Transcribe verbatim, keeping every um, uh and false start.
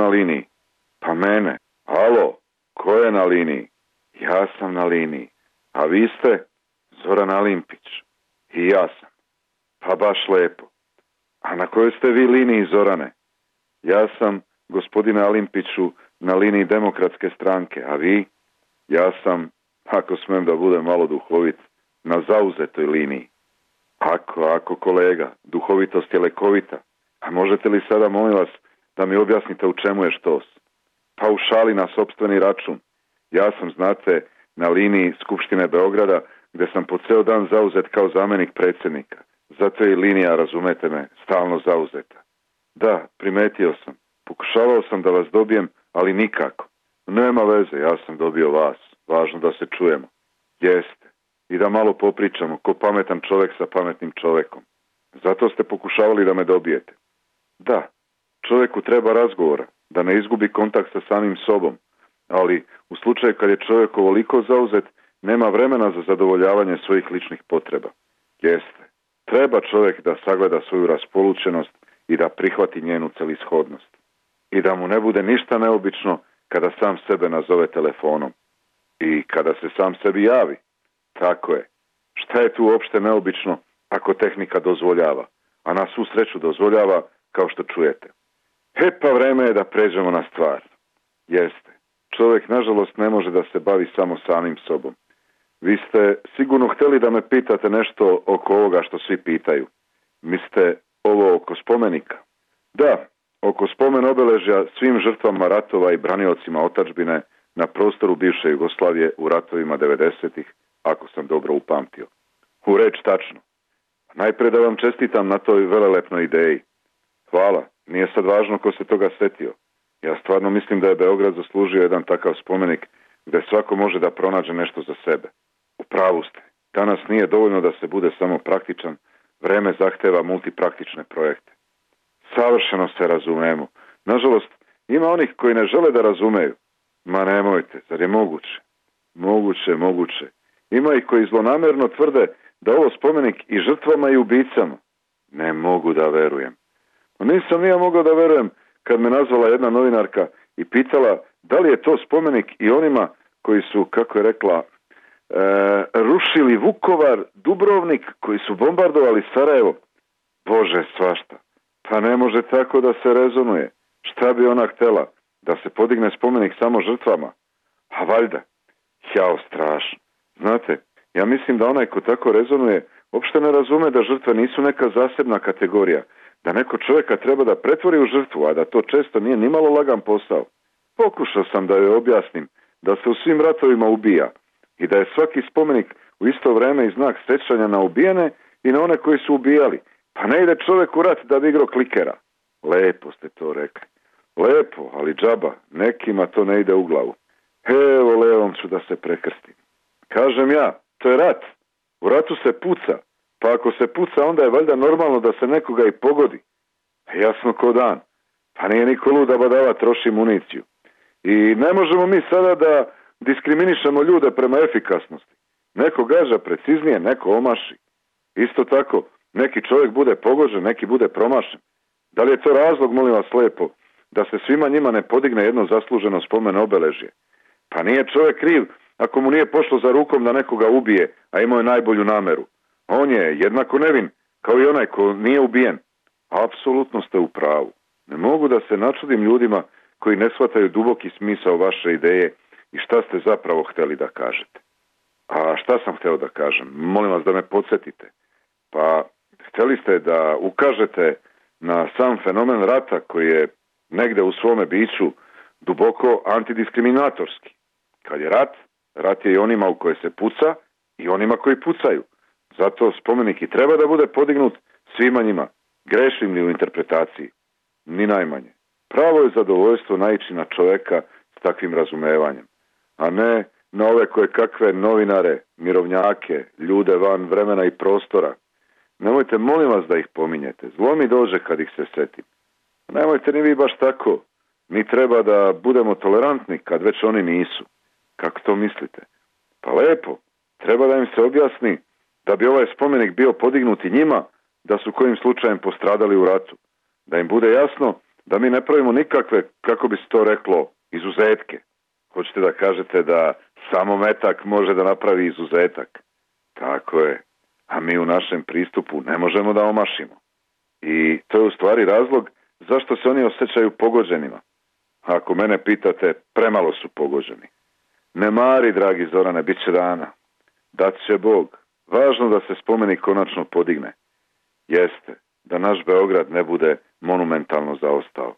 na liniji? Pa mene. Alo, ko je na liniji? Ja sam na liniji. A vi ste? Zoran Alimpić. I ja sam. Pa baš lepo. A na kojoj ste vi liniji, Zorane? Ja sam, gospodine Alimpiću, na liniji Demokratske stranke, a vi? Ja sam, ako smem da budem malo duhovit, na zauzetoj liniji. Ako, ako kolega, duhovitost je lekovita. A možete li sada, molim vas, da mi objasnite u čemu je štos? Pa u šali na sopstveni račun. Ja sam, znate, na liniji Skupštine Beograda, gde sam po ceo dan zauzet kao zamenik predsjednika. Zato je i linija, razumete me, stalno zauzeta. Da, primetio sam. Pokušavao sam da vas dobijem, ali nikako. Nema veze, ja sam dobio vas. Važno da se čujemo. Jeste. I da malo popričamo, ko pametan čovek sa pametnim čovekom. Zato ste pokušavali da me dobijete. Da, čoveku treba razgovora, da ne izgubi kontakt sa samim sobom. Ali u slučaju kad je čovjek ovoliko zauzet, nema vremena za zadovoljavanje svojih ličnih potreba. Jeste. Treba čovjek da sagleda svoju raspolućenost i da prihvati njenu celishodnost. I da mu ne bude ništa neobično kada sam sebe nazove telefonom. I kada se sam sebi javi. Tako je. Šta je tu uopšte neobično ako tehnika dozvoljava? A na svu sreću dozvoljava, kao što čujete. E pa vreme je da pređemo na stvar. Jeste. Čovjek, nažalost, ne može da se bavi samo samim sobom. Vi ste sigurno htjeli da me pitate nešto oko ovoga što svi pitaju. Mislite ovo oko spomenika? Da, oko spomen obeležja svim žrtvama ratova i braniocima otadžbine na prostoru bivše Jugoslavije u ratovima devedesetih, ako sam dobro upamtio. U reč tačno. Najprije da vam čestitam na toj velelepnoj ideji. Hvala, nije sad važno ko se toga setio. Ja stvarno mislim da je Beograd zaslužio jedan takav spomenik gde svako može da pronađe nešto za sebe. U pravu ste. Danas nije dovoljno da se bude samo praktičan, vreme zahteva multipraktične projekte. Savršeno se razumemo. Nažalost, ima onih koji ne žele da razumeju. Ma nemojte, zar je moguće? Moguće, moguće. Ima ih koji zlonamerno tvrde da ovo spomenik i žrtvama i ubicama. Ne mogu da verujem. No nisam ni ja mogao da verujem kad me nazvala jedna novinarka i pitala da li je to spomenik i onima koji su, kako je rekla, e, rušili Vukovar, Dubrovnik, koji su bombardovali Sarajevo. Bože, svašta. Pa ne može tako da se rezonuje. Šta bi ona htela? Da se podigne spomenik samo žrtvama? A valjda. Jao, strašno. Znate, ja mislim da onaj ko tako rezonuje uopšte ne razume da žrtve nisu neka zasebna kategorija, da neko čovjeka treba da pretvori u žrtvu, a da to često nije nimalo lagan posao. Pokušao sam da joj objasnim da se u svim ratovima ubija i da je svaki spomenik u isto vreme i znak sećanja na ubijene i na one koji su ubijali. Pa ne ide čovjek u rat da bi igrao klikera. Lepo ste to rekli. Lepo, ali džaba, nekima to ne ide u glavu. Evo, levom ću da se prekrstim. Kažem ja, to je rat. U ratu se puca. Pa ako se puca, onda je valjda normalno da se nekoga i pogodi. Jasno ko dan. Pa nije niko lud da badava troši municiju. I ne možemo mi sada da diskriminišemo ljude prema efikasnosti. Neko gaža preciznije, neko omaši. Isto tako, neki čovjek bude pogođen, neki bude promašen. Da li je to razlog, molim vas lepo, da se svima njima ne podigne jedno zasluženo spomen obeležje? Pa nije čovjek kriv ako mu nije pošlo za rukom da nekoga ubije, a imao je najbolju nameru. On je jednako nevin, kao i onaj ko nije ubijen. Apsolutno ste u pravu. Ne mogu da se načudim ljudima koji ne shvataju duboki smisao vaše ideje i šta ste zapravo hteli da kažete. A šta sam hteo da kažem? Molim vas da me podsjetite. Pa, hteli ste da ukažete na sam fenomen rata koji je negde u svome biću duboko antidiskriminatorski. Kad je rat, rat je i onima u koje se puca i onima koji pucaju. Zato spomenik i treba da bude podignut svima njima. Grešim li u interpretaciji? Ni najmanje. Pravo je zadovoljstvo naići na čoveka s takvim razumevanjem, a ne na ove koje kakve novinare, mirovnjake, ljude van vremena i prostora. Nemojte, molim vas, da ih pominjete. Zlo mi dođe kad ih se setim. Nemojte ni vi baš tako. Mi treba da budemo tolerantni kad već oni nisu. Kako to mislite? Pa lepo. Treba da im se objasni da bi ovaj spomenik bio podignut i njima da su kojim slučajem postradali u ratu. Da im bude jasno Da mi ne pravimo nikakve, kako bi se to reklo, izuzetke. Hoćete da kažete da samo metak može da napravi izuzetak? Tako je. A mi u našem pristupu ne možemo da omašimo. I to je u stvari razlog zašto se oni osjećaju pogođenima. Ako mene pitate, premalo su pogođeni. Ne mari, dragi Zorane, bit će dana. Dat će Bog. Važno da se spomenik konačno podigne. Jeste, da naš Beograd ne bude monumentalno zaostao.